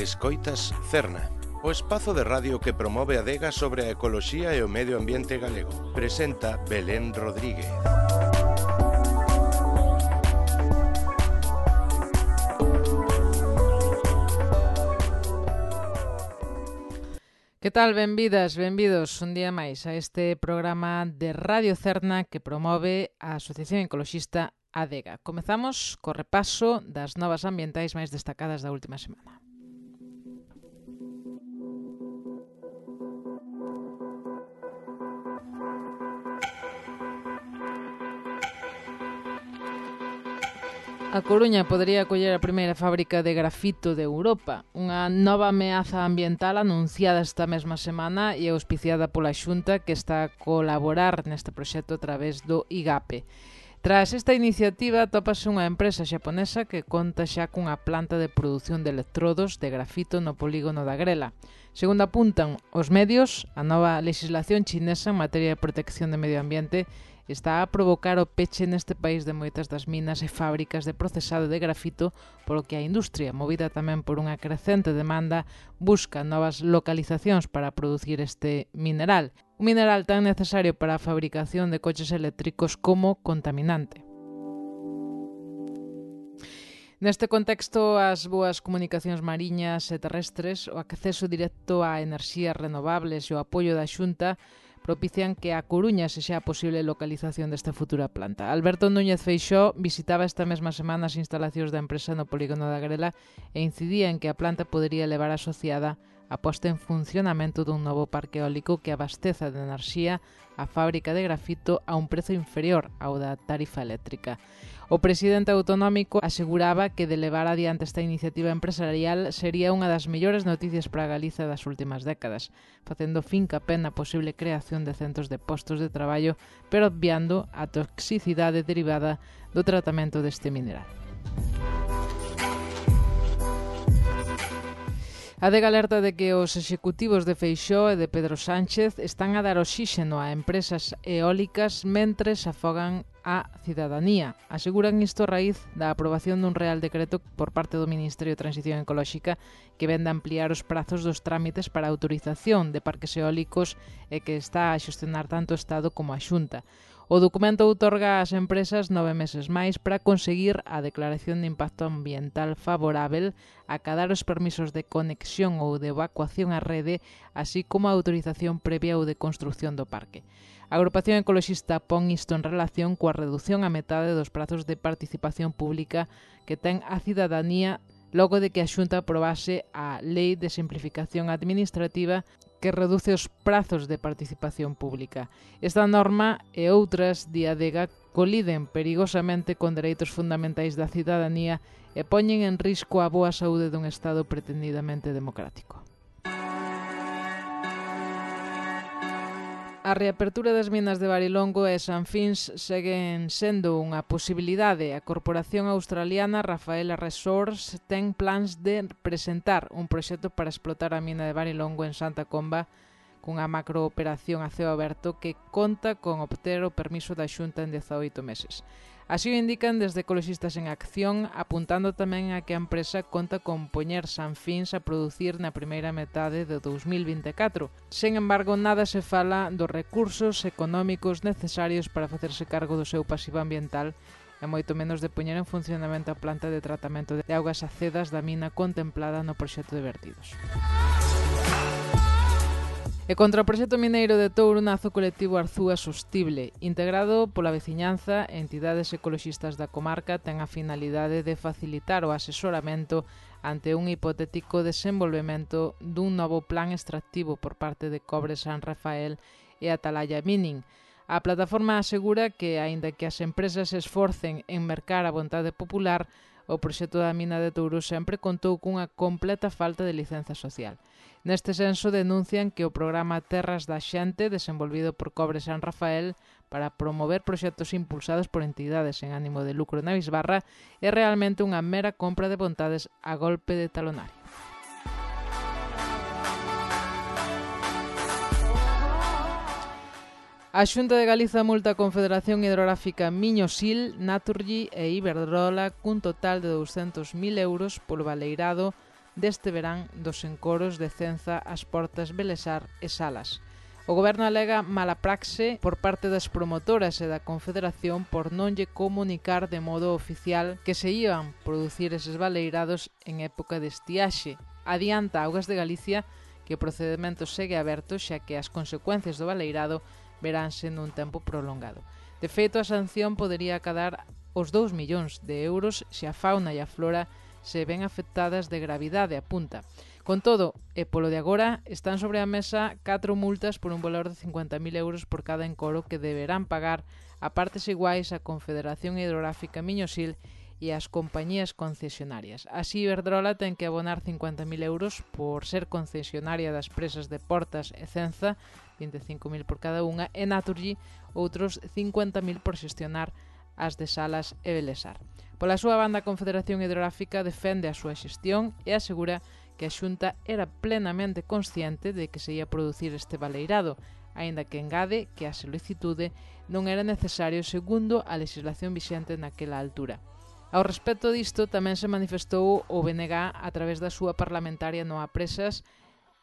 Escoitas Cerna, o espazo de radio que promove a adega sobre a ecoloxía e o medio ambiente galego. Presenta Belén Rodríguez. Que tal? Benvidas, benvidos un día máis a este programa de Radio Cerna que promove a Asociación Ecoloxista Adega. Comezamos co repaso das novas ambientais máis destacadas da última semana. A Coruña podería acoller a primeira fábrica de grafito de Europa, unha nova ameaza ambiental anunciada esta mesma semana e auspiciada pola Xunta que está a colaborar neste proxecto a través do IGAPE. Tras esta iniciativa, tópase unha empresa xaponesa que conta xa cunha planta de produción de electrodos de grafito no polígono da Grela. Segundo apuntan os medios, a nova legislación chinesa en materia de protección do medio ambiente está a provocar o peche neste país de moitas das minas e fábricas de procesado de grafito, polo que a industria, movida tamén por unha crecente demanda, busca novas localizacións para producir este mineral. Un mineral tan necesario para a fabricación de coches eléctricos como contaminante. Neste contexto, as boas comunicacións mariñas e terrestres, o acceso directo a enerxías renovables e o apoio da Xunta propician que a Coruña sexa a posible localización desta futura planta. Alberto Núñez Feixóo visitaba esta mesma semana as instalacións da empresa no polígono da Grela e incidía en que a planta podería levar asociada a posta en funcionamento dun novo parque eólico que abasteza de enerxía a fábrica de grafito a un prezo inferior ao da tarifa eléctrica. O presidente autonómico aseguraba que de levar adiante esta iniciativa empresarial sería unha das mellores noticias para Galiza das últimas décadas, facendo fincapé na posible creación de centros de postos de traballo, pero obviando a toxicidade derivada do tratamento deste mineral. A Adega alerta de que os executivos de Feixóo e de Pedro Sánchez están a dar oxíxeno a empresas eólicas mentres afogan a cidadanía. Aseguran isto a raíz da aprobación dun Real Decreto por parte do Ministerio de Transición Ecolóxica que vende ampliar os prazos dos trámites para a autorización de parques eólicos e que está a xestionar tanto o Estado como a Xunta. O documento outorga ás empresas 9 meses máis para conseguir a declaración de impacto ambiental favorável, acadar os permisos de conexión ou de evacuación á rede, así como a autorización previa ou de construción do parque. A agrupación ecoloxista pon isto en relación coa reducción a metade dos prazos de participación pública que ten a cidadanía logo de que a Xunta aprobase a Lei de Simplificación Administrativa que reduce os prazos de participación pública. Esta norma e outras de Adega coliden perigosamente con dereitos fundamentais da cidadanía e poñen en risco a boa saúde dun Estado pretendidamente democrático. A reapertura das minas de Varilongo e Sanfins seguen sendo unha posibilidade. A corporación australiana Rafaela Resources ten plans de presentar un proxecto para explotar a mina de Varilongo en Santa Comba cunha macrooperación a ceo aberto que conta con obter o permiso da Xunta en 18 meses. Así o indican desde Ecoloxistas en Acción, apuntando tamén a que a empresa conta con poñer Sanfins a producir na primeira metade de 2024. Sen embargo, nada se fala dos recursos económicos necesarios para facerse cargo do seu pasivo ambiental e moito menos de poñer en funcionamento a planta de tratamento de augas acedas da mina contemplada no proxecto de vertidos. E contra o proxecto mineiro de Touro nace o colectivo Arzúa Sostible, integrado pola veciñanza e entidades ecoloxistas da comarca, ten a finalidade de facilitar o asesoramento ante un hipotético desenvolvemento dun novo plan extractivo por parte de Cobre San Rafael e Atalaya Mining. A plataforma asegura que, aínda que as empresas se esforcen en mercar a vontade popular, o proxecto da mina de Touro sempre contou cunha completa falta de licenza social. Neste senso denuncian que o programa Terras da Xente, desenvolvido por Cobre San Rafael para promover proxectos impulsados por entidades en ánimo de lucro na bisbarra, é realmente unha mera compra de vontades a golpe de talonario. A Xunta de Galiza multa a Confederación Hidrográfica Miño-Sil, Naturgy e Iberdrola cun total de 200.000 euros polo baleirado deste verán dos encoros de Cenza, As Portas, Belesar e Salas. O Goberno alega mala praxe por parte das promotoras e da Confederación por non lle comunicar de modo oficial que se iban producir eses baleirados en época de estiaxe. Adianta Augas de Galicia que o procedimento segue aberto xa que as consecuencias do baleirado veránse nun tempo prolongado. De feito, a sanción podería acadar os 2 millóns de euros se a fauna e a flora se ven afectadas de gravidade, apunta. Con todo, e polo de agora, están sobre a mesa 4 multas por un valor de 50.000 euros por cada encoro que deberán pagar a partes iguais a Confederación Hidrográfica Miñosil e as compañías concesionarias. Así, Iberdrola ten que abonar 50.000 euros por ser concesionaria das presas de Portas e Cenza, 25.000 por cada unha, e Naturgy outros 50.000 por xestionar as de Salas e Belesar. Pola súa banda, a Confederación Hidrográfica defende a súa xestión e asegura que a Xunta era plenamente consciente de que se ia producir este baleirado, aínda que engade que a solicitude non era necesario segundo a legislación vixente naquela altura. Ao respecto disto, tamén se manifestou o BNG a través da súa parlamentaria Noa Presas,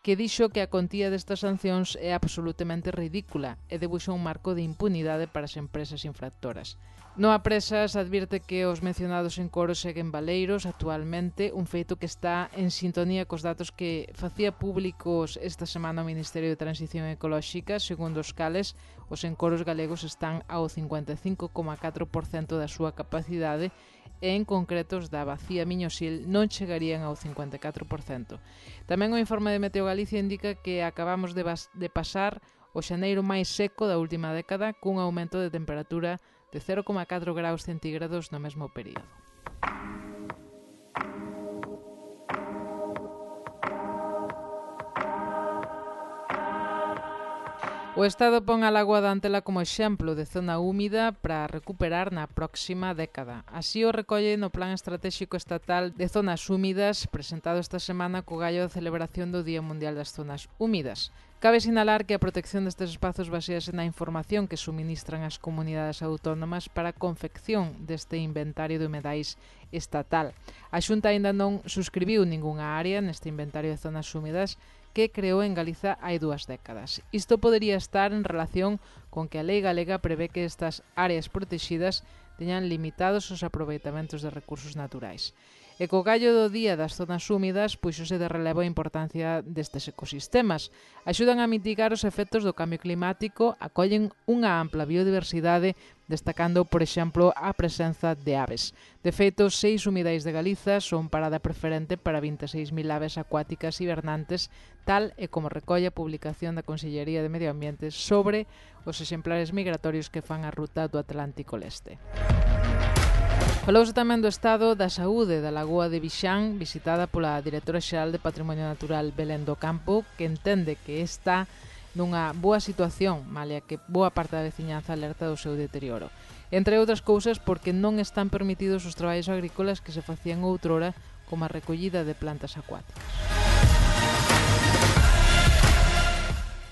que dixo que a contía destas sancións é absolutamente ridícula e debuxa un marco de impunidade para as empresas infractoras. Noa Presas advirte que os mencionados encoros seguen baleiros actualmente, un feito que está en sintonía cos datos que facía públicos esta semana o Ministerio de Transición Ecolóxica, segundo os cales os encoros galegos están ao 55,4% da súa capacidade e en concretos da Bacía Miñosil non chegarían ao 54%. Tamén o informe de Meteo Galicia indica que acabamos de pasar o xaneiro máis seco da última década cun aumento de temperatura de 0,4 graus centígrados no mesmo período. O Estado pon a Lagoa da Antela como exemplo de zona húmida para recuperar na próxima década. Así o recolle no Plan Estratégico Estatal de Zonas Húmidas presentado esta semana co gallo da celebración do Día Mundial das Zonas Húmidas. Cabe sinalar que a protección destes espazos basease na información que suministran as comunidades autónomas para a confección deste inventario de humedais estatal. A Xunta aínda non suscribiu ningunha área neste inventario de zonas húmidas que creou en Galiza hai 2 décadas. Isto podería estar en relación con que a lei galega prevé que estas áreas protegidas teñan limitados os aproveitamentos de recursos naturais. E co gallo do Día das Zonas Húmidas puxose de relevo a importancia destes ecosistemas. Axudan a mitigar os efectos do cambio climático, acollen unha ampla biodiversidade, destacando, por exemplo, a presenza de aves. De feito, 6 humidais de Galiza son parada preferente para 26.000 aves acuáticas hibernantes, tal e como recolle a publicación da Consellería de Medio Ambiente sobre os exemplares migratorios que fan a ruta do Atlántico Leste. Falouse tamén do estado da saúde da Lagoa de Vixán, visitada pola Directora Xeral de Patrimonio Natural Belén do Campo, que entende que está nunha boa situación, malia que boa parte da veciñanza alerta do seu deterioro. Entre outras cousas porque non están permitidos os traballos agrícolas que se facían outrora, como a recollida de plantas acuáticas.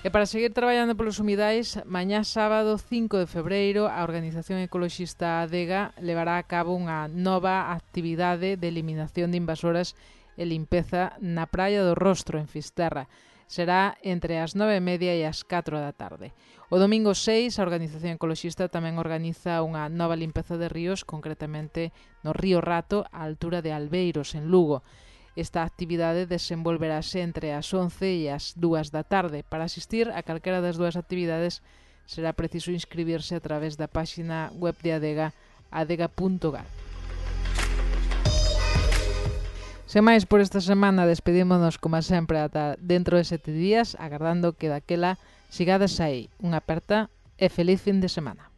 E para seguir traballando polos humidais, mañá sábado 5 de febreiro a organización ecoloxista Adega levará a cabo unha nova actividade de eliminación de invasoras e limpeza na Praia do Rostro, en Fisterra. Será entre as 9:30 e as 4 da tarde. O domingo 6, a organización ecoloxista tamén organiza unha nova limpeza de ríos, concretamente no río Rato, á altura de Albeiros, en Lugo. Esta actividade desenvolverase entre as 11 e as 2 da tarde. Para asistir a calquera das 2 actividades será preciso inscribirse a través da páxina web de Adega, adega.gal. Sen máis por esta semana, despedímonos como sempre ata dentro de 7 días, agardando que daquela sigades aí. Unha aperta e feliz fin de semana.